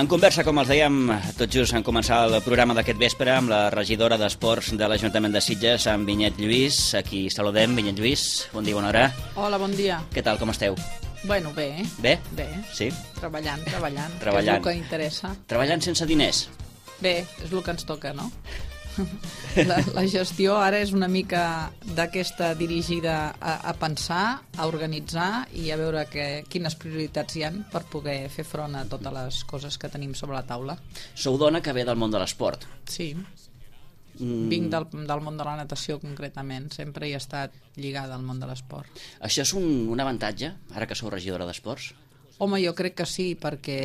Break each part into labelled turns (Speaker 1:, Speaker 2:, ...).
Speaker 1: En conversa, com els dèiem, tot just en començar el programa d'aquest vespre amb la regidora d'Esports de l'Ajuntament de Sitges, amb Vinyet Lluís. Aquí saludem, Vinyet Lluís. Bon dia, bona hora.
Speaker 2: Hola, bon dia.
Speaker 1: Què tal, com esteu?
Speaker 2: Bueno, bé.
Speaker 1: Bé?
Speaker 2: Bé.
Speaker 1: Sí?
Speaker 2: Treballant.
Speaker 1: Treballant.
Speaker 2: Que és el que interessa.
Speaker 1: Treballant sense diners?
Speaker 2: Bé, és el que ens toca, no? La gestió ara és una mica d'aquesta dirigida a pensar, a organitzar i a veure quines prioritats hi ha per poder fer front a totes les coses que tenim sobre la taula.
Speaker 1: Sou dona que ve del món de l'esport.
Speaker 2: Sí. Vinc del món de la natació concretament, sempre he estat lligada al món de l'esport.
Speaker 1: Això és un avantatge, ara que sou regidora d'Esports?
Speaker 2: Home, jo crec que sí, perquè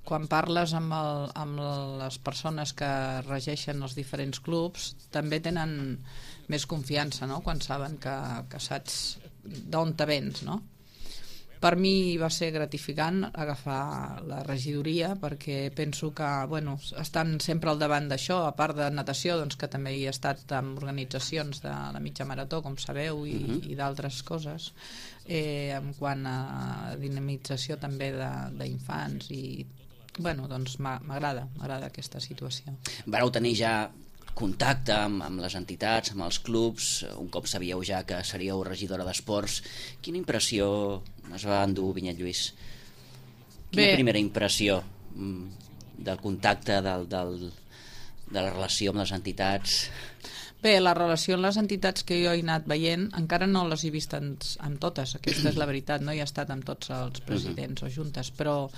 Speaker 2: quan parles amb les persones que regeixen els diferents clubs també tenen més confiança, no? Quan saben que saps d'on te vens, no? Per mi va ser gratificant agafar la regidoria perquè penso que estan sempre al davant d'això, a part de natació, doncs, que també hi he estat en organitzacions de la mitja marató, com sabeu, i d'altres coses, en quant a dinamització també d'infants i doncs m'agrada aquesta situació.
Speaker 1: Vareu tenir ja contacte amb les entitats, amb els clubs, un cop sabíeu ja que seríeu regidora d'Esports. Quina impressió es va endur, Vinyet Lluís? Quina primera impressió del contacte, de la relació amb les entitats?
Speaker 2: Bé, la relació amb les entitats que jo he anat veient encara no les he vist amb totes, aquesta és la veritat, no he estat amb tots els presidents o juntes, però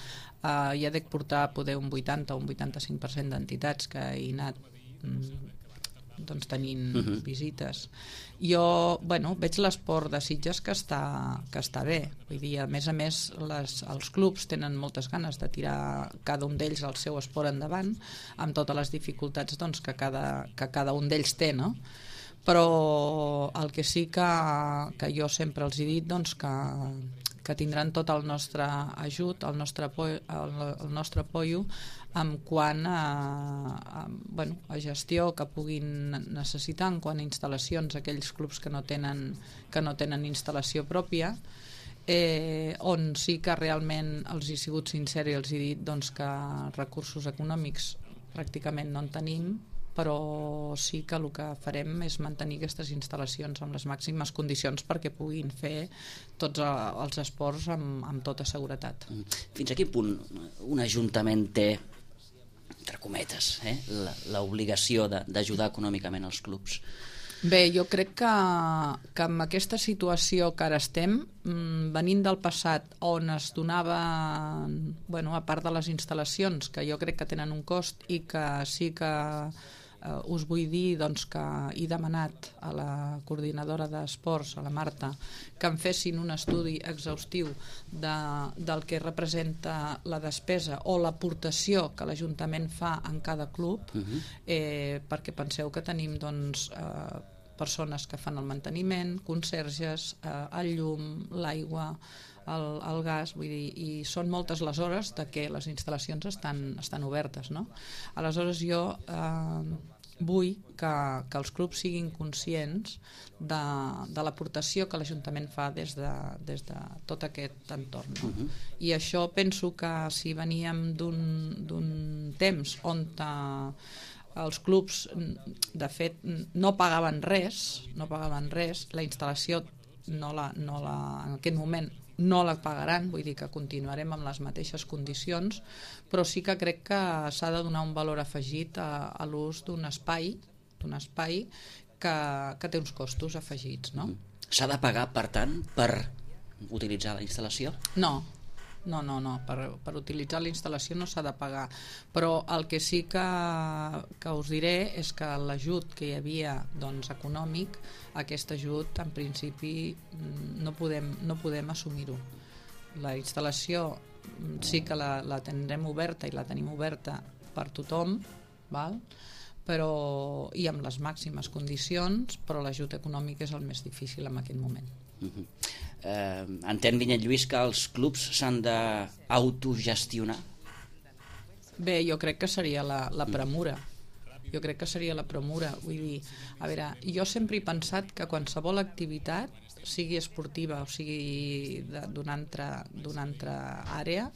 Speaker 2: ja dec portar poder un 80 o un 85% d'entitats que he anat tenint visites. Jo veig l'esport de Sitges que està bé, vull dir, a més els clubs tenen moltes ganes de tirar cada un d'ells el seu esport endavant amb totes les dificultats que cada un d'ells té, no? Però el que sí que jo sempre els he dit que tindran tot el nostre ajut, el nostre apoyo en quant a gestió que puguin necessitar, en quant a instal·lacions, aquells clubs que no tenen instal·lació pròpia, on sí que realment els he sigut sincer i els he dit que recursos econòmics pràcticament no en tenim, però sí que el que farem és mantenir aquestes instal·lacions amb les màximes condicions perquè puguin fer tots els esports amb tota seguretat.
Speaker 1: Fins a quin punt un ajuntament té, entre cometes, l'obligació d'ajudar econòmicament els clubs?
Speaker 2: Bé, jo crec que amb aquesta situació que ara estem, venint del passat on es donava, a part de les instal·lacions, que jo crec que tenen un cost i que sí que us vull dir que he demanat a la coordinadora d'esports, a la Marta, que em fessin un estudi exhaustiu del que representa la despesa o l'aportació que l'Ajuntament fa en cada club, perquè penseu que tenim persones que fan el manteniment, conserges, el llum, l'aigua, el gas, vull dir, i són moltes les hores de que les instal·lacions estan obertes, no? Aleshores jo vull que els clubs siguin conscients de l'aportació que l'Ajuntament fa des de tot aquest entorn, no? I això penso que si veníem d'un temps on els clubs de fet no pagaven res, la instal·lació en aquest moment no la pagaran, vull dir que continuarem amb les mateixes condicions, però sí que crec que s'ha de donar un valor afegit a l'ús d'un espai que té uns costos afegits, no?
Speaker 1: S'ha de pagar, per tant, per utilitzar la instal·lació?
Speaker 2: No, per utilitzar la instal·lació no s'ha de pagar, però el que sí que us diré és que l'ajut que hi havia econòmic, aquest ajut en principi no podem assumir-ho. La instal·lació sí que la tindrem oberta i la tenim oberta per tothom, val? Però i amb les màximes condicions, però l'ajut econòmic és el més difícil en aquest moment.
Speaker 1: Entén, Vinyet Lluís, que els clubs s'han d'autogestionar?
Speaker 2: Bé, jo crec que seria la premura. Vull dir, a veure, jo sempre he pensat que qualsevol activitat sigui esportiva o sigui d'una altra àrea,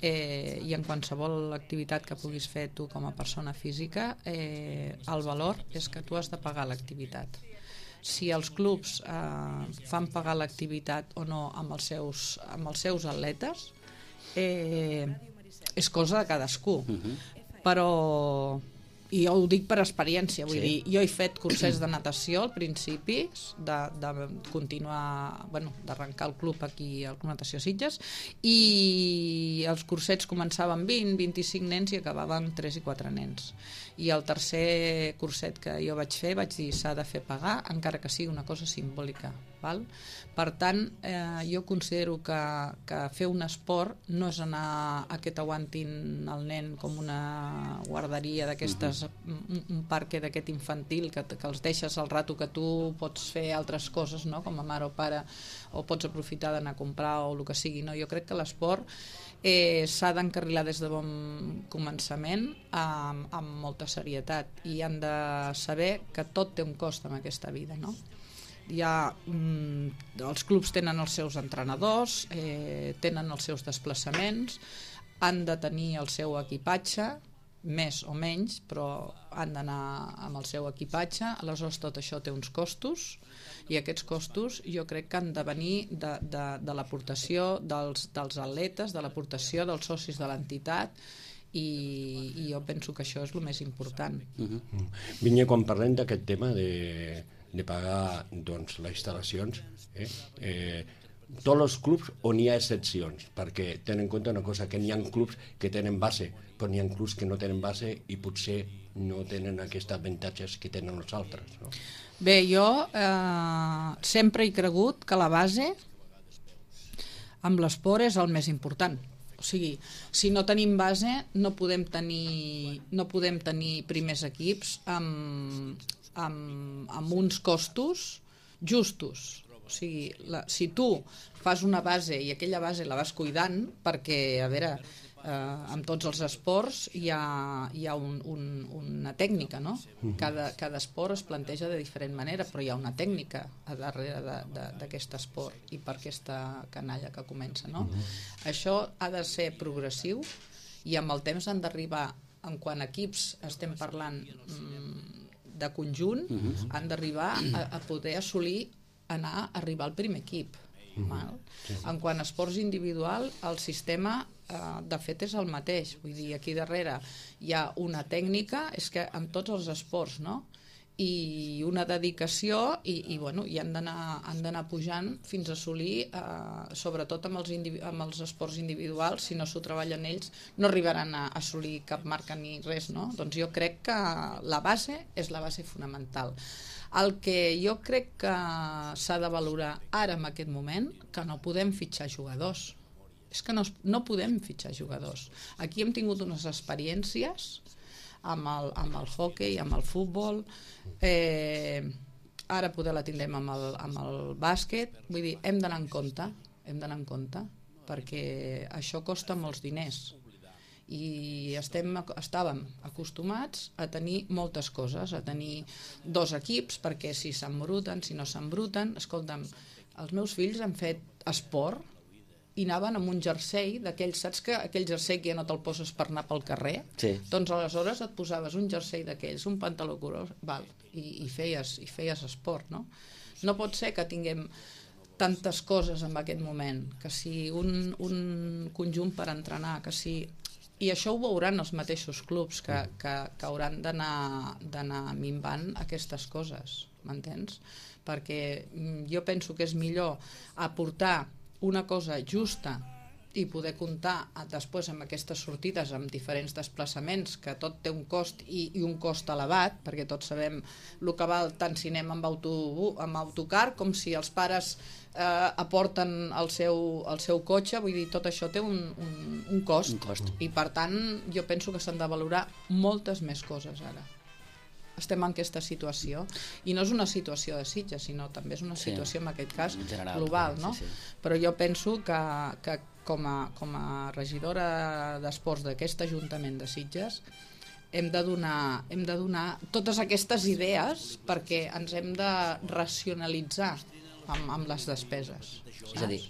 Speaker 2: i en qualsevol activitat que puguis fer tu com a persona física, el valor és que tu has de pagar l'activitat. Si els clubs fan pagar l'activitat o no amb els seus atletes, és cosa de cadascú. Però, i jo ho dic per experiència, vull dir, jo he fet cursets de natació al principi, de continuar, d'arrencar el club aquí al Club Natació Sitges, i els cursets començaven 20-25 nens i acabaven 3 i 4 nens. I el tercer curset que jo vaig fer, vaig dir, s'ha de fer pagar, encara que sigui una cosa simbòlica. Val? Per tant, jo considero que fer un esport no és anar a que t'aguantin el nen com una guarderia d'aquestes, un parc d'aquest infantil que els deixes al rato que tu pots fer altres coses, no? Com a mare o pare, o pots aprofitar d'anar a comprar o el que sigui. No? Jo crec que l'esport s'ha d'encarrilar des de bon començament amb molta serietat, i han de saber que tot té un cost en aquesta vida, no? Els clubs tenen els seus entrenadors, tenen els seus desplaçaments, han de tenir el seu equipatge, més o menys, però han d'anar amb el seu equipatge. Aleshores tot això té uns costos, i aquests costos jo crec que han de venir de l'aportació dels atletes, de l'aportació dels socis de l'entitat, i jo penso que això és el més important.
Speaker 3: Vinya, quan parlem d'aquest tema de pagar les instal·lacions, tots els clubs on hi ha excepcions, perquè tenen en compte una cosa, que n'hi ha clubs que tenen base, però n'hi ha clubs que no tenen base i potser no tenen aquests avantatges que tenen els altres, no?
Speaker 2: Bé, jo sempre he cregut que la base amb l'esport és el més important. O sigui, si no tenim base no podem tenir primers equips amb uns costos justos. O sigui, si tu fas una base i aquella base la vas cuidant, perquè, a veure, en tots els esports hi ha una tècnica, no? Cada esport es planteja de diferent manera, però hi ha una tècnica a darrere d'aquest esport i per aquesta canalla que comença, no? Això ha de ser progressiu, i amb el temps han d'arribar, en quant a equips estem parlant de conjunt, han d'arribar a poder arribar al primer equip. En quant a esports individual, el sistema de fet és el mateix, vull dir, aquí darrere hi ha una tècnica, és que en tots els esports, no? I una dedicació, i han d'anar pujant fins a assolir, sobretot amb els esports individuals, si no s'ho treballen ells no arribaran a assolir cap marca ni res, no? Doncs jo crec que la base és la base fonamental. El que jo crec que s'ha de valorar ara en aquest moment, que no podem fitxar jugadors, és que no podem fitxar jugadors. Aquí hem tingut unes experiències amb el hoquei, amb el futbol, ara poder la tindrem amb el bàsquet. Vull dir, hem d'anar en compte, perquè això costa molts diners, i estàvem acostumats a tenir moltes coses, a tenir 2 equips, perquè si s'embruten, si no s'embruten. Escolta'm, els meus fills han fet esport i anaven amb un jersei d'aquells, saps que aquell jersei que ja no te'l poses per anar pel carrer?
Speaker 1: Sí.
Speaker 2: Doncs aleshores et posaves un jersei d'aquells, un pantaló curós, i feies esport, no? No pot ser que tinguem tantes coses en aquest moment, que si un conjunt per entrenar, que si... I això ho veuran els mateixos clubs que hauran d'anar minvant aquestes coses, m'entens? Perquè jo penso que és millor aportar una cosa justa i poder comptar després amb aquestes sortides, amb diferents desplaçaments, que tot té un cost i un cost elevat, perquè tots sabem el que val tant si anem amb autocar com si els pares aporten el seu cotxe. Vull dir, tot això té un cost. I per tant jo penso que s'han de valorar moltes més coses ara. Estem en aquesta situació, i no és una situació de Sitges, sinó també és una situació, en aquest cas, global, no? Però jo penso que com a regidora d'esports d'aquest Ajuntament de Sitges hem de donar totes aquestes idees, perquè ens hem de racionalitzar amb les despeses. Saps?
Speaker 1: És a dir,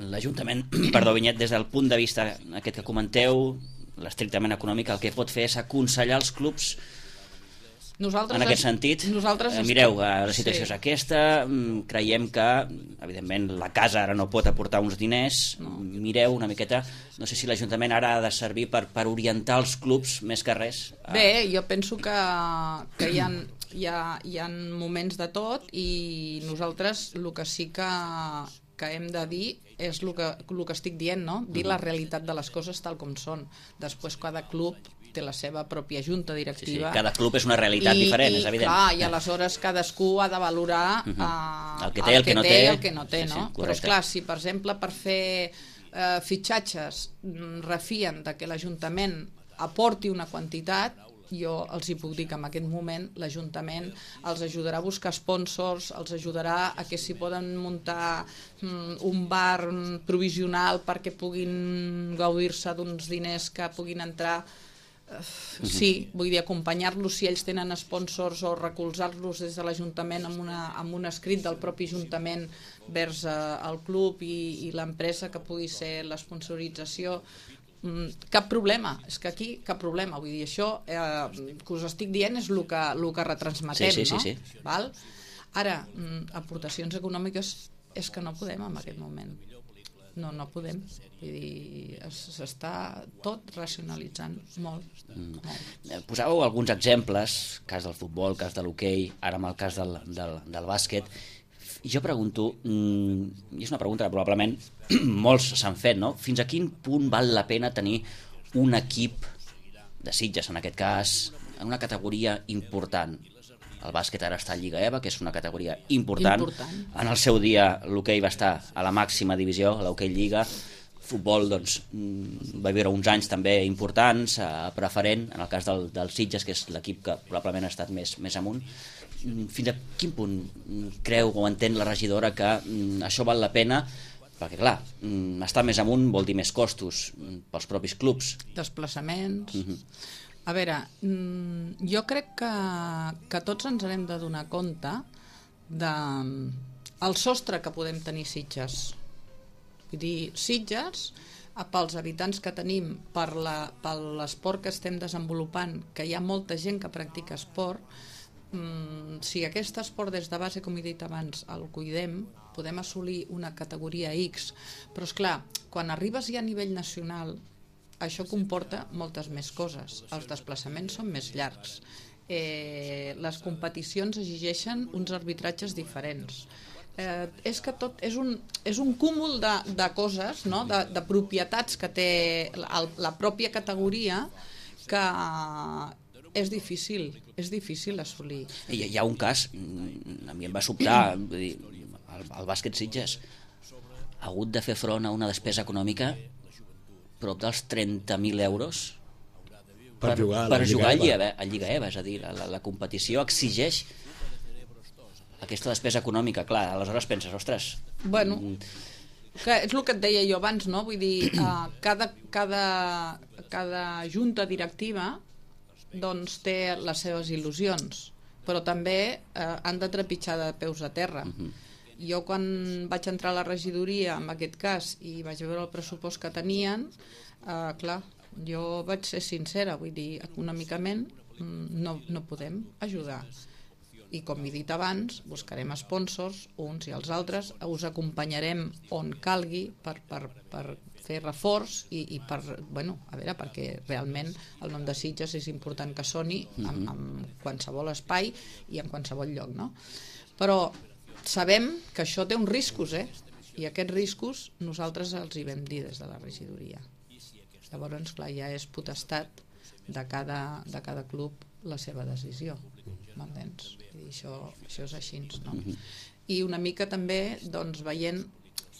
Speaker 1: l'Ajuntament, perdó, Vinyet, des del punt de vista aquest que comenteu, l'estrictament econòmic, el que pot fer és aconsellar els clubs en aquest sentit. Mireu, la situació és aquesta, creiem que, evidentment, la casa ara no pot aportar uns diners, mireu una miqueta, no sé si l'Ajuntament ara ha de servir per orientar els clubs més que res.
Speaker 2: Bé, jo penso que hi ha moments de tot i nosaltres el que sí que hem de dir és el que estic dient, no? Dir la realitat de les coses tal com són. Després cada club té la seva pròpia junta directiva.
Speaker 1: Sí, cada club és una realitat diferent, és evident.
Speaker 2: Clar, i aleshores cadascú ha de valorar
Speaker 1: el que té i el que no té.
Speaker 2: I el que no té, no? Però esclar, si per exemple per fer fitxatges refien de que l'Ajuntament aporti una quantitat, jo els hi puc dir que en aquest moment l'Ajuntament els ajudarà a buscar sponsors, els ajudarà a que s'hi poden muntar un bar provisional perquè puguin gaudir-se d'uns diners que puguin entrar. Sí, vull dir, acompanyar-los si ells tenen sponsors o recolzar-los des de l'Ajuntament amb un escrit del propi Ajuntament vers el club i l'empresa que pugui ser l'esponsorització. Cap problema, és que aquí cap problema, vull dir, això que us estic dient és el que retransmetem, no?
Speaker 1: Sí.
Speaker 2: Val? Ara, aportacions econòmiques és que no podem en aquest moment. No podem. Vull dir, s'està tot racionalitzant molt.
Speaker 1: Posàveu alguns exemples, cas del futbol, cas de l'hoquei, ara amb el cas del bàsquet. Jo pregunto, i és una pregunta que probablement molts s'han fet, no? Fins a quin punt val la pena tenir un equip de Sitges, en aquest cas, en una categoria important? El bàsquet ara està a Lliga EVA, que és una categoria important. En el seu dia l'hoquei va estar a la màxima divisió, a l'hoquei Lliga. Futbol, doncs, va viure uns anys també importants, preferent, en el cas del Sitges, que és l'equip que probablement ha estat més amunt. Fins a quin punt creu o entén la regidora que això val la pena? Perquè, clar, estar més amunt vol dir més costos pels propis clubs.
Speaker 2: Desplaçaments. A veure, jo crec que tots ens hem de donar compte del sostre que podem tenir Sitges. Vull dir, Sitges, pels habitants que tenim, per l'esport que estem desenvolupant, que hi ha molta gent que practica esport, si aquest esport des de base, com he dit abans, el cuidem, podem assolir una categoria X. Però, esclar, quan arribes ja a nivell nacional, això comporta moltes més coses. Els desplaçaments són més llargs. Les competicions exigeixen uns arbitratges diferents. És que tot és un cúmul de coses, no? de propietats que té la pròpia categoria que és difícil assolir.
Speaker 1: Hi ha un cas, a mi em va sobtar, vull dir, el bàsquet Sitges ha hagut de fer front a una despesa econòmica prop dels 30.000 euros per jugar a Lliga EVA, és a dir, la competició exigeix aquesta despesa econòmica, clar, aleshores penses, ostres...
Speaker 2: Bueno, que és el que et deia jo abans, no? Vull dir, cada junta directiva doncs té les seves il·lusions, però també han de trepitjar de peus a terra. Jo quan vaig entrar a la regidoria, en aquest cas, i vaig veure el pressupost que tenien, clar, jo vaig ser sincera, vull dir, econòmicament no podem ajudar. I com he dit abans, buscarem sponsors, uns i els altres, us acompanyarem on calgui per fer reforç i per, bueno, a veure, perquè realment el nom de Sitges és important que soni en qualsevol espai i en qualsevol lloc, no? Però sabem que això té uns riscos, i aquests riscos nosaltres els hi vam dir des de la regidoria. Llavors, clar, ja és potestat de cada club la seva decisió, m'entens? Això és així, no? I una mica també, doncs, veient,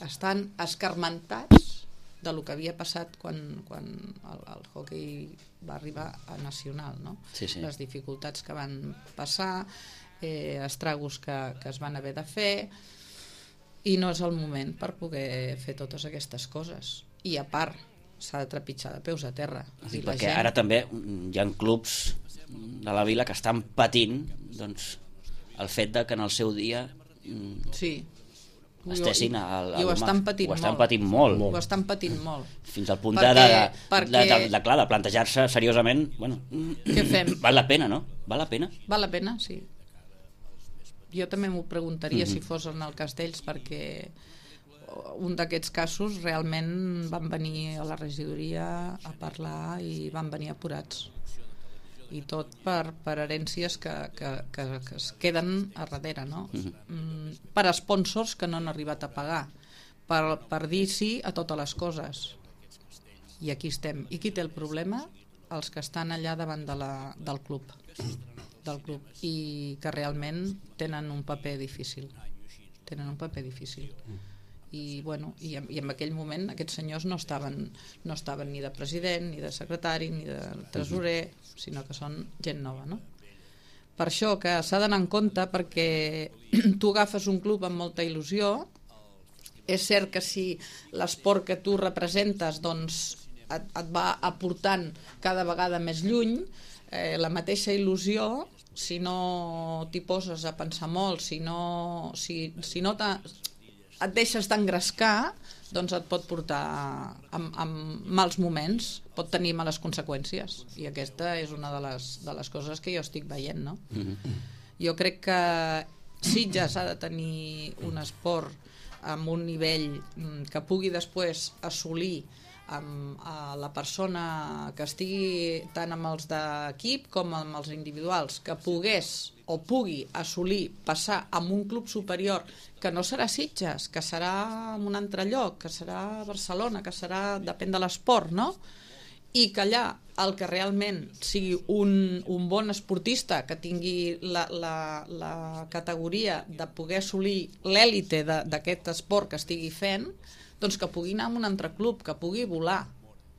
Speaker 2: estan escarmentats de lo que havia passat quan el hoquei va arribar a nacional, no?
Speaker 1: Sí.
Speaker 2: Les dificultats que van passar, estragos que es van haver de fer, i no és el moment per poder fer totes aquestes coses. I a part, s'ha de trepitjar de peus a terra.
Speaker 1: Sí, perquè ara també hi ha clubs de la vila que estan patint, doncs, el fet de que en el seu dia
Speaker 2: sí,
Speaker 1: estessin
Speaker 2: i ho estan patint
Speaker 1: molt.
Speaker 2: Ho estan patint molt.
Speaker 1: Fins al punt
Speaker 2: perquè,
Speaker 1: de plantejar-se seriosament, bueno,
Speaker 2: què fem?
Speaker 1: Val la pena, no? Val la pena?
Speaker 2: Val la pena, sí. Jo també m'ho preguntaria si fos en el cas d'ells, perquè un d'aquests casos realment van venir a la regidoria a parlar i van venir apurats. I tot per herències que es queden a darrere, no? Per sponsors que no han arribat a pagar, per dir sí a totes les coses. I aquí estem. I qui té el problema? Els que estan allà davant del club i que realment tenen un paper difícil. I en aquell moment aquests senyors no estaven ni de president, ni de secretari, ni de tresorer, sinó que són gent nova, no? Per això que s'ha d'anar en compte, perquè tu agafes un club amb molta il·lusió. És cert que si l'esport que tu representes doncs et va aportant cada vegada més lluny, la mateixa il·lusió, si no t'hi poses a pensar molt, si no et deixes d'engrescar, doncs et pot portar amb mals moments, pot tenir males conseqüències, i aquesta és una de les coses que jo estic veient, no? Jo crec que Sitges ha de tenir un esport amb un nivell que pugui després assolir amb la persona que estigui tant amb els d'equip com amb els individuals, que pogués o pugui assolir passar a un club superior, que no serà Sitges, que serà en un altre lloc, que serà Barcelona, que serà, depèn de l'esport, no? I que allà el que realment sigui un bon esportista, que tingui la categoria de poder assolir l'èlite d'aquest esport que estigui fent, doncs que pugui anar a un altre club, que pugui volar.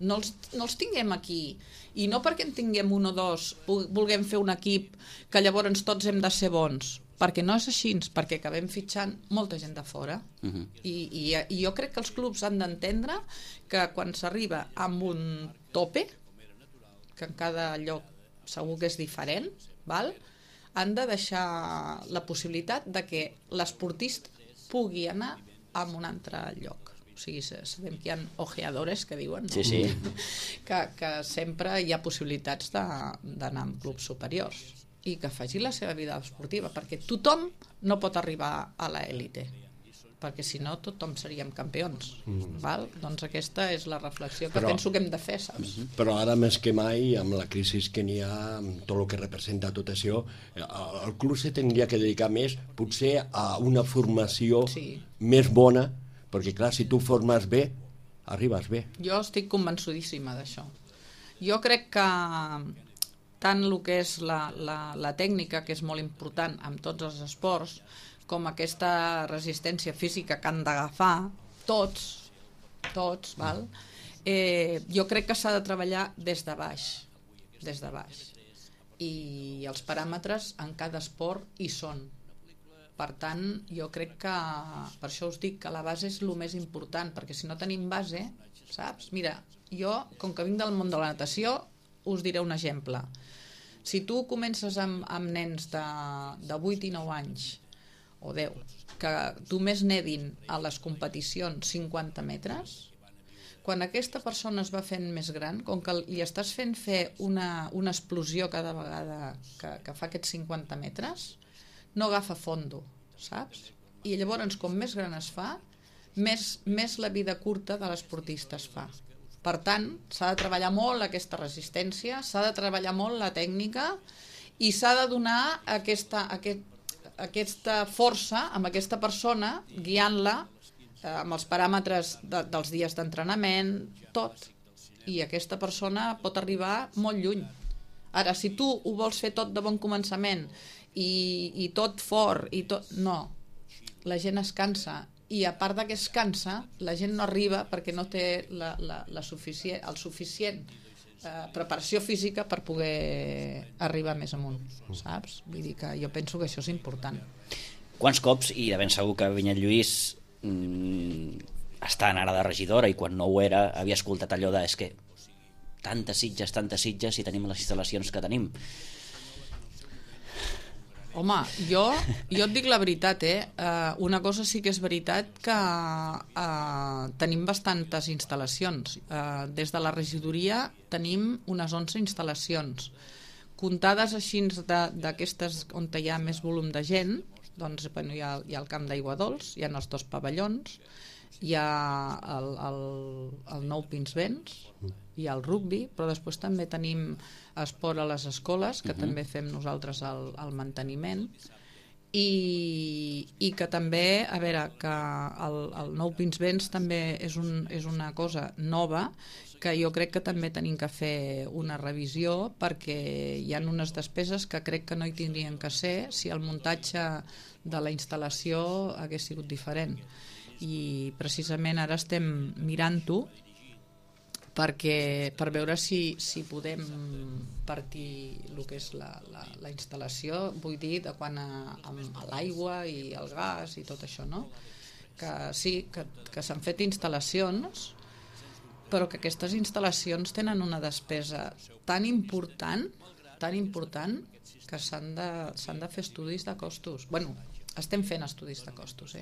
Speaker 2: No els tinguem aquí, i no perquè en tinguem un o dos vulguem fer un equip que llavors tots hem de ser bons, perquè no és així, perquè acabem fitxant molta gent de fora. I jo crec que els clubs han d'entendre que quan s'arriba amb un tope, que en cada lloc segur que és diferent, han de deixar la possibilitat de que l'esportista pugui anar a un altre lloc. O sigui, sabem que hi ha ojeadores que diuen, no?
Speaker 1: Sí.
Speaker 2: que sempre hi ha possibilitats d'anar amb clubs superiors i que faci la seva vida esportiva, perquè tothom no pot arribar a l'élite, perquè si no tothom seríem campions. Doncs aquesta és la reflexió que penso que hem de fer, saps?
Speaker 3: Però ara més que mai, amb la crisi que n'hi ha, amb tot el que representa tot això, el club se tindria que dedicar més potser a una formació més bona, perquè clar, si tu formes bé, arribes bé.
Speaker 2: Jo estic convençudíssima d'això. Jo crec que tant el que és la tècnica, que és molt important en tots els esports, com aquesta resistència física que han d'agafar tots, val? Jo crec que s'ha de treballar des de baix. I els paràmetres en cada esport hi són. Per tant, jo crec que, per això us dic que la base és el més important, perquè si no tenim base, saps? Mira, jo, com que vinc del món de la natació, us diré un exemple. Si tu comences amb nens de 8 i 9 anys, o 10, que només nedin a les competicions 50 metres, quan aquesta persona es va fent més gran, com que li estàs fent fer una explosió cada vegada que fa aquests 50 metres, no agafa fondo, saps? I llavors, com més gran es fa, més la vida curta de l'esportista es fa. Per tant, s'ha de treballar molt aquesta resistència, s'ha de treballar molt la tècnica i s'ha de donar aquesta força amb aquesta persona, guiant-la amb els paràmetres dels dies d'entrenament, tot. I aquesta persona pot arribar molt lluny. Ara, si tu ho vols fer tot de bon començament i tot fort, no, la gent es cansa, i a part que es cansa, la gent no arriba perquè no té el suficient preparació física per poder arribar més amunt, saps? Vull dir que jo penso que això és important.
Speaker 1: Quants cops, i de ben segur que Vinyet Lluís estant ara de regidora i quan no ho era havia escoltat allò de és que tantes Sitges i tenim les instal·lacions que tenim.
Speaker 2: Home, jo et dic la veritat, una cosa sí que és veritat que tenim bastantes instal·lacions. Des de la regidoria tenim unes 11 instal·lacions. Comptades així d'aquestes on hi ha més volum de gent, doncs hi ha el camp d'aigua dolç, hi ha els 2 pavellons, hi ha el nou Pinsbens, hi ha el rugbi, però després també tenim esport a les escoles, que també fem nosaltres el manteniment, i que també, a veure, que el nou Pinsbens també és una cosa nova, que jo crec que també tenim que fer una revisió, perquè hi ha unes despeses que crec que no hi tindrien que ser si el muntatge de la instal·lació hagués sigut diferent. I precisament ara estem mirant-ho per veure si podem partir el que és la instal·lació, vull dir, de quan a l'aigua i el gas i tot això, no? Que sí, que s'han fet instal·lacions, però que aquestes instal·lacions tenen una despesa tan important que s'han de fer estudis de costos. Bueno, estem fent estudis de costos,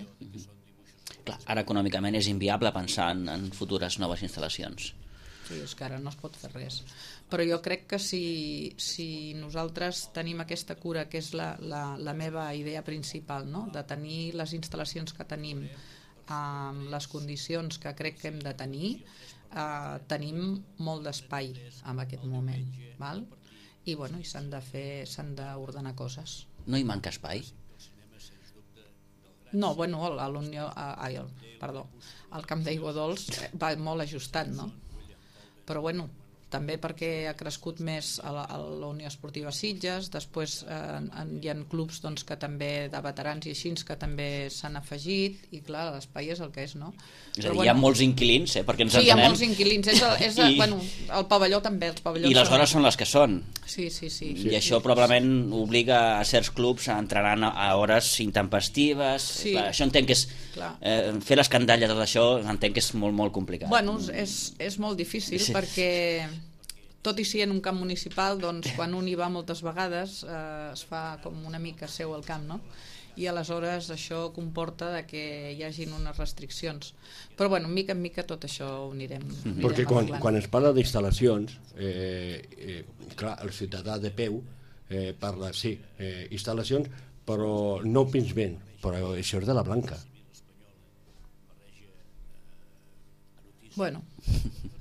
Speaker 1: Clar, ara econòmicament és inviable pensar en futures noves instal·lacions.
Speaker 2: Sí, és que ara no es pot fer res. Però jo crec que si nosaltres tenim aquesta cura, que és la meva idea principal, no? De tenir les instal·lacions que tenim amb les condicions que crec que hem de tenir, tenim molt d'espai en aquest moment, val? I bueno, s'han d'ordenar coses.
Speaker 1: No hi manca espai?
Speaker 2: No, bueno, el camp d'aigua dolç va molt ajustat, no? Però bueno, també perquè ha crescut més a la Unió Esportiva Sitges, després hi ha clubs doncs, que també de veterans i així que també s'han afegit, i clar, l'espai és el que és, no?
Speaker 1: És a dir, hi ha molts inquilins, perquè ens entenem.
Speaker 2: Sí, hi ha molts inquilins, bueno, el pavelló també, els pavellons.
Speaker 1: I les hores són les que són.
Speaker 2: Sí.
Speaker 1: I això probablement obliga a certs clubs a entrenar a hores intempestives.
Speaker 2: Sí.
Speaker 1: Clar, això entenc que és... fer l'escandall de tot això entenc que és molt, molt complicat.
Speaker 2: Bueno, és molt difícil, perquè tot i ser en un camp municipal, doncs quan un hi va moltes vegades es fa com una mica seu al camp, no? I aleshores això comporta que hi hagin unes restriccions. Però bueno, mica en mica tot això ho anirem
Speaker 3: Perquè quan es parla d'instal·lacions, clar, el ciutadà de peu parla, sí, instal·lacions, però no Pinsbens, però això és de la Blanca.
Speaker 2: Bueno,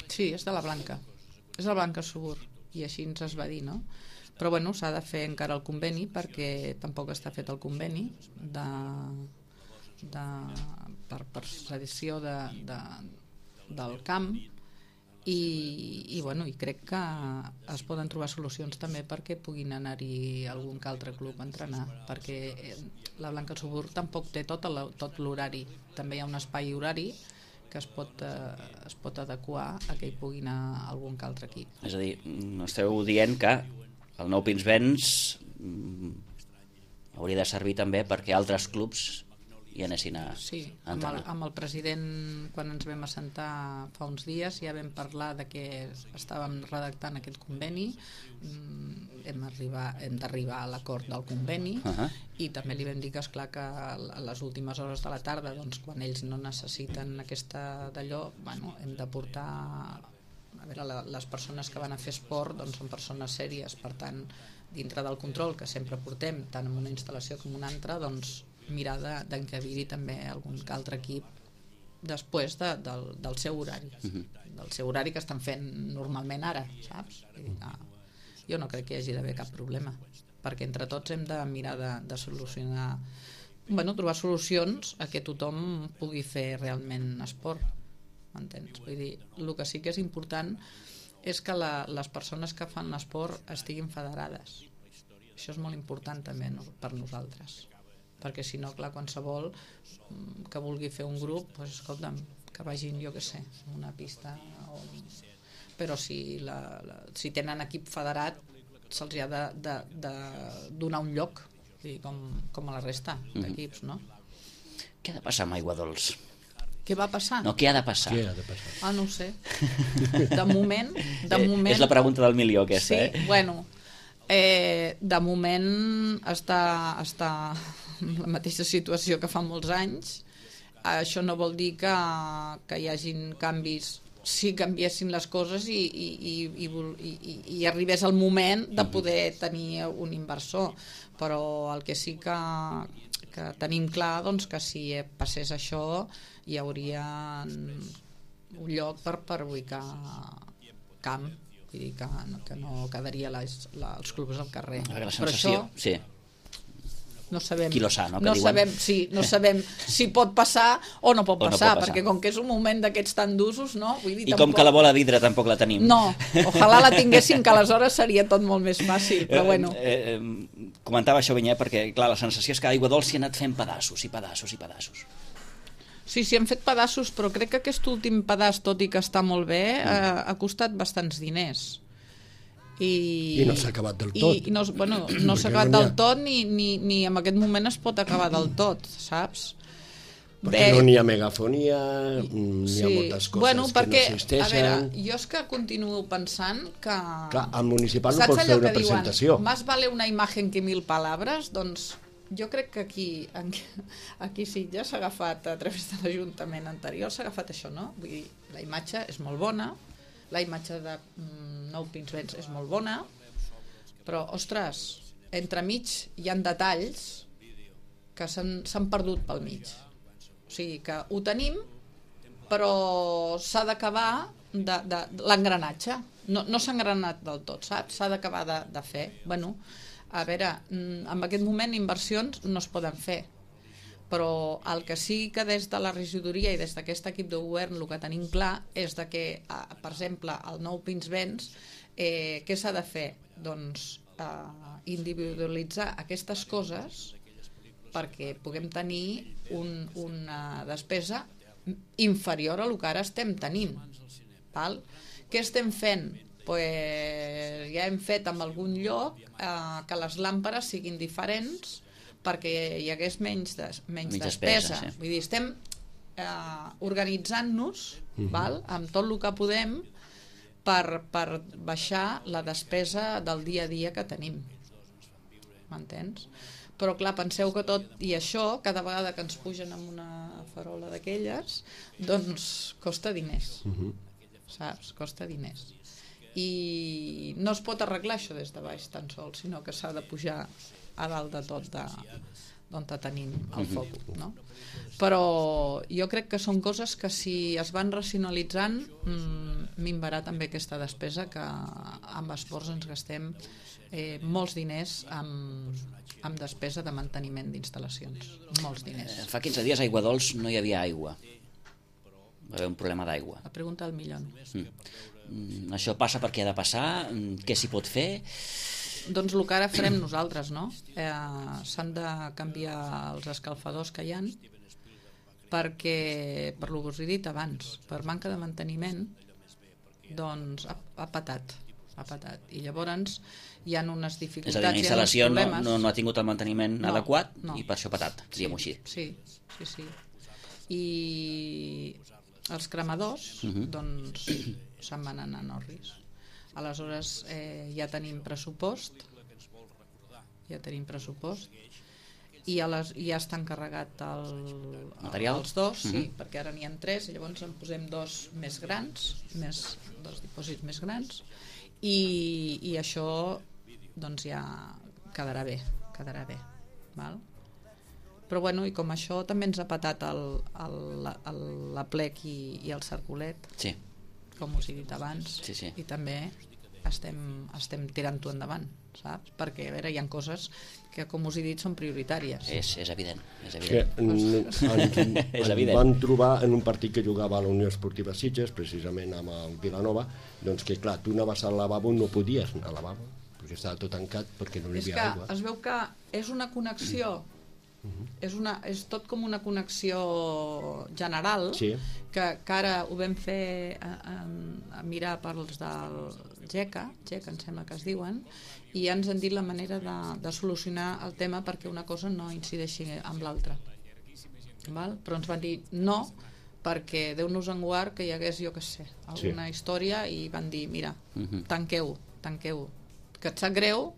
Speaker 2: sí, és de la Blanca. És la Blanca Subur, i així ens es va dir, no? Però bueno, s'ha de fer encara el conveni, perquè tampoc està fet el conveni per cedició del camp, i bueno, i crec que es poden trobar solucions també perquè puguin anar-hi algun que altre club a entrenar, perquè la Blanca Subur tampoc té tot l'horari, també hi ha un espai horari que es pot adequar a que hi pugui anar algun que altre equip.
Speaker 1: És a dir, esteu dient que el nou Pinsbens hauria de servir també perquè altres clubs hi anessin a entrenar.
Speaker 2: Sí, amb el president, quan ens vam assentar fa uns dies, ja vam parlar de que estàvem redactant aquest conveni, hem d'arribar a l'acord del conveni, i també li vam dir que esclar que a les últimes hores de la tarda, doncs, quan ells no necessiten aquesta d'allò, bueno, hem de portar... A veure, les persones que van a fer esport doncs, són persones sèries, per tant, dintre del control que sempre portem, tant en una instal·lació com en una altra, doncs, mirar d'encabir-hi també algun altre equip després del seu horari, del seu horari que estan fent normalment ara, saps? Jo no crec que hi hagi d'haver cap problema, perquè entre tots hem de mirar de solucionar, bueno, trobar solucions a que tothom pugui fer realment esport. M'entens? Vull dir, el que sí que és important és que les persones que fan l'esport estiguin federades. Això és molt important també per nosaltres, perquè si no, clar, qualsevol que vulgui fer un grup, doncs, escolta'm, que vagin, jo què sé, a una pista, però si tenen equip federat se'ls ha de donar un lloc, com a la resta d'equips, no?
Speaker 1: Què ha de passar amb Aigua Dols?
Speaker 2: Què va passar?
Speaker 1: No, què ha de passar?
Speaker 2: No ho sé. De moment...
Speaker 1: És la pregunta del milió, aquesta,
Speaker 2: sí, bueno, De moment està en la mateixa situació que fa molts anys. Això no vol dir que hi hagin canvis. Si canviessin les coses i arribés el moment de poder tenir un inversor, però el que sí que tenim clar, doncs, que si passés això hi hauria un lloc per ubicar camp, vull dir que no quedaria els clubs al carrer.
Speaker 1: La sensació, sí.
Speaker 2: No sabem,
Speaker 1: qui lo sa, no?
Speaker 2: No sabem si pot passar o no pot passar, perquè com que és un moment d'aquests tan d'usos, no? Vull dir,
Speaker 1: I com que la bola vidre tampoc la tenim.
Speaker 2: No, ojalà la tinguéssim, que aleshores seria tot molt més fàcil, però bueno.
Speaker 1: Comentava això, Vinyet, perquè clar, la sensació és que Aigua Dols s'hi ha anat fent pedaços i pedaços i pedaços.
Speaker 2: Sí, hem fet pedaços, però crec que aquest últim pedaç, tot i que està molt bé, ha costat bastants diners.
Speaker 3: I no s'ha acabat del tot.
Speaker 2: No s'ha acabat del tot ni en aquest moment es pot acabar del tot, saps?
Speaker 3: Perquè no n'hi ha megafonia, n'hi ha moltes coses que no existeixen.
Speaker 2: A veure, jo és que continuo pensant que...
Speaker 3: Clar, al municipal no pots fer una presentació.
Speaker 2: Más vale una imagen que 1000 palabras, doncs jo crec que aquí Sitges s'ha agafat, a través de l'Ajuntament anterior, s'ha agafat això, no? Vull dir, la imatge és molt bona, la imatge de Nou Pinsbens és molt bona, però, ostres, entremig hi ha detalls que s'han perdut pel mig. O sigui que ho tenim, però s'ha d'acabar l'engranatge. No s'ha engranat del tot, saps? S'ha d'acabar de fer. Bueno, a veure, en aquest moment inversions no es poden fer, però el que sí que des de la regidoria i des d'aquest equip de govern el que tenim clar és de que, per exemple, el Nou Pinsbens, què s'ha de fer? Doncs individualitzar aquestes coses perquè puguem tenir una despesa inferior a el que ara estem tenint. Val? Què estem fent? Pues ja hem fet en algun lloc que les làmperes siguin diferents perquè hi hagués menys despesa. Sí. Vull dir, estem organitzant-nos amb tot el que podem per baixar la despesa del dia a dia que tenim. M'entens? Però clar, penseu que tot i això, cada vegada que ens pugen amb una farola d'aquelles, doncs costa diners. Saps? Costa diners. I no es pot arreglar això des de baix tan sols, sinó que s'ha de pujar a dalt de tot d'on tenim el focus, no? Però jo crec que són coses que si es van racionalitzant minvarà també aquesta despesa que amb esports ens gastem molts diners amb despesa de manteniment d'instal·lacions, molts diners.
Speaker 1: Fa 15 dies a Aigua Dols no hi havia aigua, va haver un problema d'aigua.
Speaker 2: La pregunta del milió.
Speaker 1: Això passa perquè ha de passar, què s'hi pot fer?
Speaker 2: Doncs el que ara farem nosaltres, no? S'han de canviar els escalfadors que hi ha perquè, per lo que us he dit abans, per manca de manteniment, doncs ha patat. I llavors hi ha unes dificultats.
Speaker 1: És a dir, la instal·lació no ha tingut el manteniment adequat i per això ha patat, diguem-ho així.
Speaker 2: Sí. I els cremadors doncs se'n van anar a Norris. Aleshores ja tenim pressupost i ja està encarregat els dos, sí, perquè ara n'hi ha 3 i llavors en posem 2 més grans, 2 dipòsits més grans i això doncs ja quedarà bé, val? Però bueno, i com això també ens ha patat l'aplec i el circulet,
Speaker 1: sí, com
Speaker 2: us he dit abans, i també estem tirant-ho endavant, saps? Perquè, a veure, hi ha coses que, com us he dit, són prioritàries.
Speaker 1: És evident.
Speaker 3: Ens van trobar en un partit que jugava a la Unió Esportiva Sitges, precisament amb el Vilanova, doncs que, clar, tu anaves al lavabo, no podies anar al lavabo, perquè estava tot tancat, perquè no hi havia aigua.
Speaker 2: Es veu que és una connexió, és tot com una connexió general, que ara ho vam fer a mirar pels del GECA, em sembla que es diuen, i ja ens han dit la manera de solucionar el tema perquè una cosa no incideixi amb l'altra. Però ens van dir no, perquè Déu-nos en guard que hi hagués, jo què sé, alguna història, i van dir, mira, tanqueu, que et sap greu,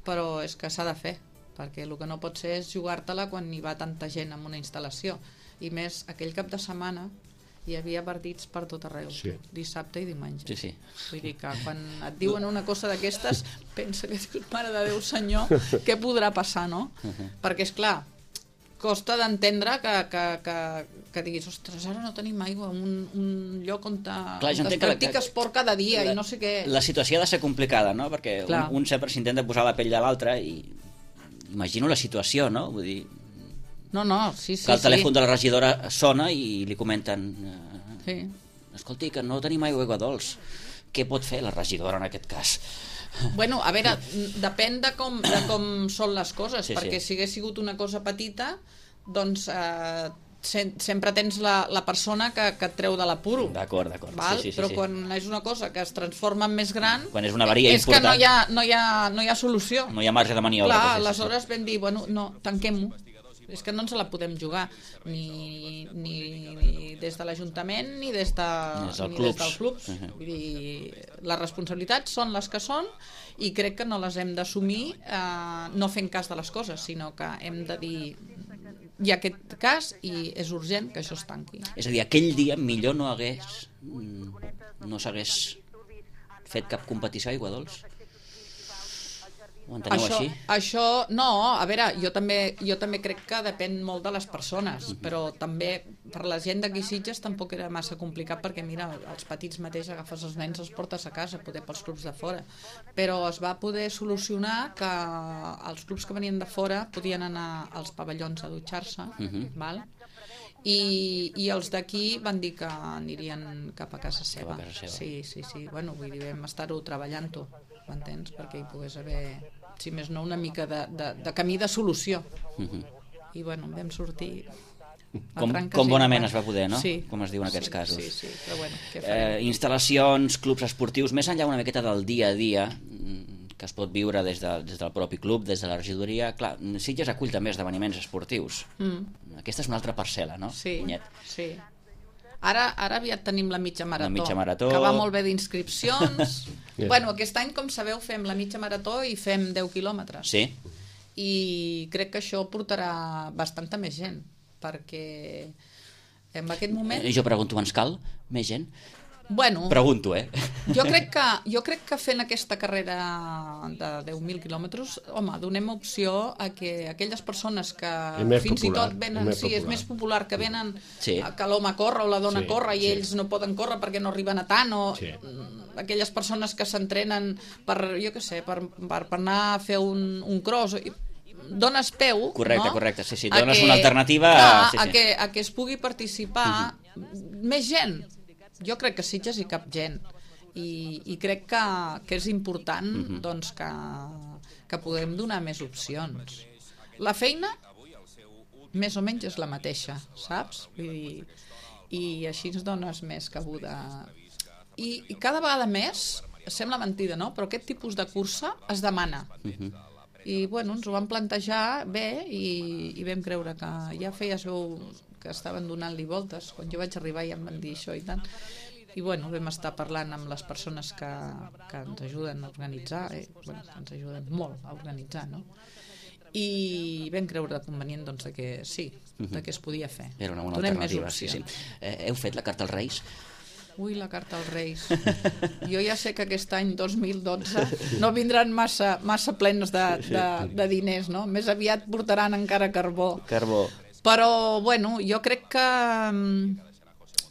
Speaker 2: però és que s'ha de fer, perquè el que no pot ser és jugar-te-la quan hi va tanta gent en una instal·lació, i més aquell cap de setmana hi havia partits per tot arreu, dissabte i diumenge.
Speaker 1: Sí.
Speaker 2: Vull dir que quan et diuen una cosa d'aquestes, pensa que dius, mare de Déu senyor, què podrà passar, no? Perquè, és clar, costa d'entendre que diguis, ostres, ara no tenim aigua, un lloc on es practica esport cada dia i no sé què.
Speaker 1: La situació ha de ser complicada, no? Perquè un sempre s'intenta posar la pell de l'altre i imagino la situació, no? Vull dir...
Speaker 2: No, sí.
Speaker 1: Que el telèfon de la regidora sona i li comenten escolti, que no tenim aigua dolç. Què pot fer la regidora en aquest cas?
Speaker 2: Bueno, a veure, depèn de com són les coses, perquè si hagués sigut una cosa petita, doncs sempre tens la persona que et treu de l'apuro.
Speaker 1: D'acord.
Speaker 2: Però quan és una cosa que es transforma en més gran,
Speaker 1: quan és una avaria important,
Speaker 2: és que no hi ha solució.
Speaker 1: No hi ha marge de maniobra.
Speaker 2: Clar, aleshores vam dir, bueno, no, tanquem-ho. És que no ens la podem jugar ni des de l'Ajuntament ni des dels clubs. Vull dir, les responsabilitats són les que són i crec que no les hem d'assumir no fent cas de les coses, sinó que hem de dir hi ha aquest cas i és urgent que això es tanqui.
Speaker 1: És a dir, aquell dia millor no s'hagués fet cap competició a Aigua Dols? Ho enteneu així?
Speaker 2: Això, no, a veure, jo també crec que depèn molt de les persones, però també per la gent d'aquí Sitges tampoc era massa complicat perquè, mira, els petits mateix agafes els nens, els portes a casa, poder pels clubs de fora. Però es va poder solucionar que els clubs que venien de fora podien anar als pavellons a dutxar-se, val? I els d'aquí van dir que anirien cap a casa seva. Sí. Bueno, vull dir, vam estar-ho treballant-ho, m'entens? Perquè hi pogués haver, si més no, una mica de camí de solució. I bueno, vam sortir...
Speaker 1: Com bonament es va poder, no?
Speaker 2: Sí.
Speaker 1: Com es diu en aquests casos.
Speaker 2: Sí, però bueno, què farem?
Speaker 1: Instal·lacions, clubs esportius, més enllà una miqueta del dia a dia que es pot viure des del propi club, des de la regidoria. Clar, Sitges acull també esdeveniments esportius. Aquesta és una altra parcel·la, no?
Speaker 2: Sí. Ara aviat tenim la mitja marató, que va molt bé d'inscripcions. Bueno, aquest any, com sabeu, fem la mitja marató i fem 10 quilòmetres.
Speaker 1: Sí.
Speaker 2: I crec que això portarà bastanta més gent, perquè en aquest moment...
Speaker 1: Jo pregunto, ens cal més gent?
Speaker 2: Bueno,
Speaker 1: pregunto,
Speaker 2: jo crec que fent aquesta carrera de 10.000 quilòmetres, home, donem opció a que aquelles persones que fins i tot venen, és més popular, que venen que l'home corre o la dona corre i ells no poden córrer perquè no arriben a tant, o aquelles persones que s'entrenen per, jo què sé, per anar a fer un cross, dones peu,
Speaker 1: correcte, sí, dones una alternativa
Speaker 2: a que es pugui participar més gent. Jo crec que Sitges hi cap gent i crec que és important doncs, que puguem donar més opcions. La feina més o menys és la mateixa, saps? Vull dir, i així ens dones més cabuda. I cada vegada més, sembla mentida, no? Però aquest tipus de cursa es demana. I bueno, ens ho vam plantejar bé i vam creure que ja feies veu que estaven donant-li voltes. Quan jo vaig arribar ja em van dir això i tant. I bueno, vam estar parlant amb les persones que ens ajuden a organitzar, que ens ajuden molt a organitzar, no? I vam creure convenient doncs, que sí, que es podia fer.
Speaker 1: Era una bona alternativa, sí. Heu fet la carta als Reis?
Speaker 2: Ui, la carta als Reis. Jo ja sé que aquest any 2012 no vindran massa plens de diners, no? Més aviat portaran encara carbó. Però, bueno, jo crec que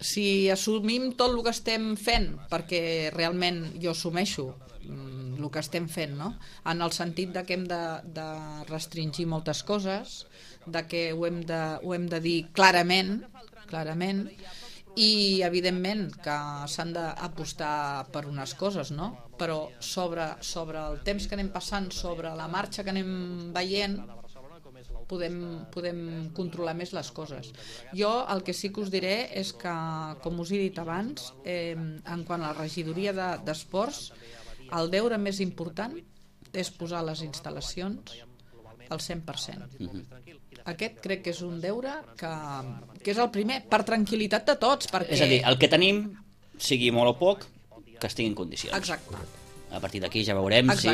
Speaker 2: si assumim tot el que estem fent, perquè realment jo assumeixo el que estem fent, no? En el sentit de que hem de restringir moltes coses, de que ho hem de dir clarament, i evidentment que s'han d'apostar per unes coses, no? Però sobre el temps que anem passant, sobre la marxa que anem veient, podem controlar més les coses. Jo el que sí que us diré és que, com us he dit abans, en quant a la regidoria d'esports, el deure més important és posar les instal·lacions al 100%. Aquest crec que és un deure que és el primer, per tranquil·litat de tots.
Speaker 1: És a dir, el que tenim, sigui molt o poc, que estigui en condicions.
Speaker 2: Exacte.
Speaker 1: A partir d'aquí ja veurem
Speaker 2: si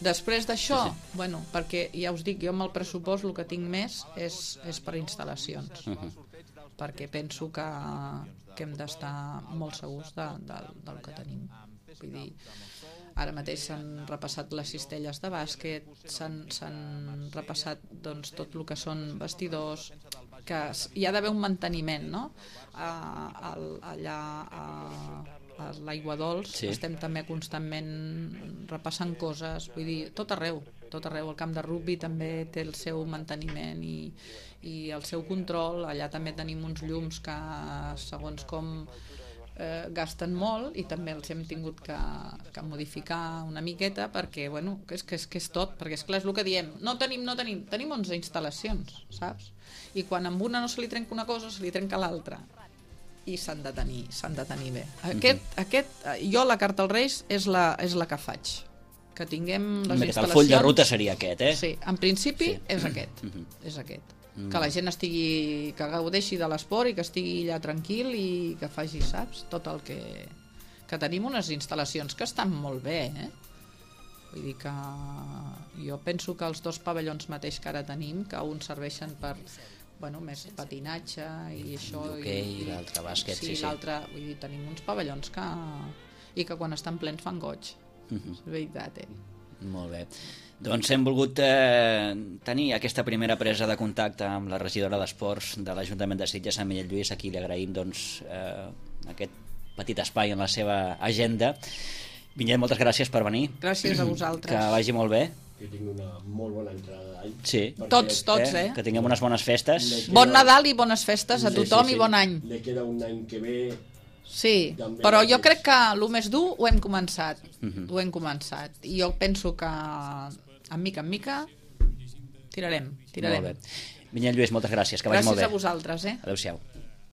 Speaker 2: Després d'això, bueno, perquè ja us dic, jo amb el pressupost el que tinc més és per instal·lacions, perquè penso que hem d'estar molt segurs del que tenim. Vull dir, ara mateix s'han repassat les cistelles de bàsquet, s'han repassat doncs, tot el que són vestidors, que hi ha d'haver un manteniment, no? Allà a l'Aigua Dols estem també constantment repassant coses, vull dir, tot arreu, el camp de rugbi també té el seu manteniment i el seu control. Allà també tenim uns llums que segons com gasten molt i també els hem tingut que modificar una miqueta perquè, bueno, és és tot, perquè és clar, és el que diem, no tenim 11 instal·lacions, saps? I quan amb una no se li trenca una cosa, se li trenca l'altra, i s'han de tenir bé. Jo la carta als Reis és la que faig, que tinguem les instal·lacions.
Speaker 1: El full de ruta seria aquest, eh?
Speaker 2: Sí, en principi és aquest. Que la gent que gaudeixi de l'esport i que estigui allà tranquil i que faci, saps, tot el que tenim unes instal·lacions que estan molt bé, vull dir que jo penso que els 2 pavellons mateix que ara tenim, que uns serveixen per més patinatge i això,
Speaker 1: i l'altre bàsquet, sí.
Speaker 2: L'altre, vull dir, tenim uns pavellons que quan estan plens fan goig, és veritat,
Speaker 1: Molt bé. Doncs hem volgut tenir aquesta primera presa de contacte amb la regidora d'Esports de l'Ajuntament de Sitges, Sant Miquel Lluís, a qui li agraïm aquest petit espai en la seva agenda. Vinyet, moltes gràcies per venir.
Speaker 2: Gràcies a vosaltres.
Speaker 1: Que vagi molt bé.
Speaker 3: Que tingui una molt bona entrada d'any.
Speaker 1: Sí.
Speaker 2: Tots,
Speaker 1: Que tinguem unes bones festes.
Speaker 2: Bon Nadal i bones festes a tothom i bon any.
Speaker 3: Le queda un any que ve...
Speaker 2: Sí, però jo crec que el més dur ho hem començat. I jo penso que en mica tirarem.
Speaker 1: Molt bé. Vinyet Lluís, moltes gràcies, que vagi molt bé.
Speaker 2: Gràcies a vosaltres.
Speaker 1: Adéu-siau.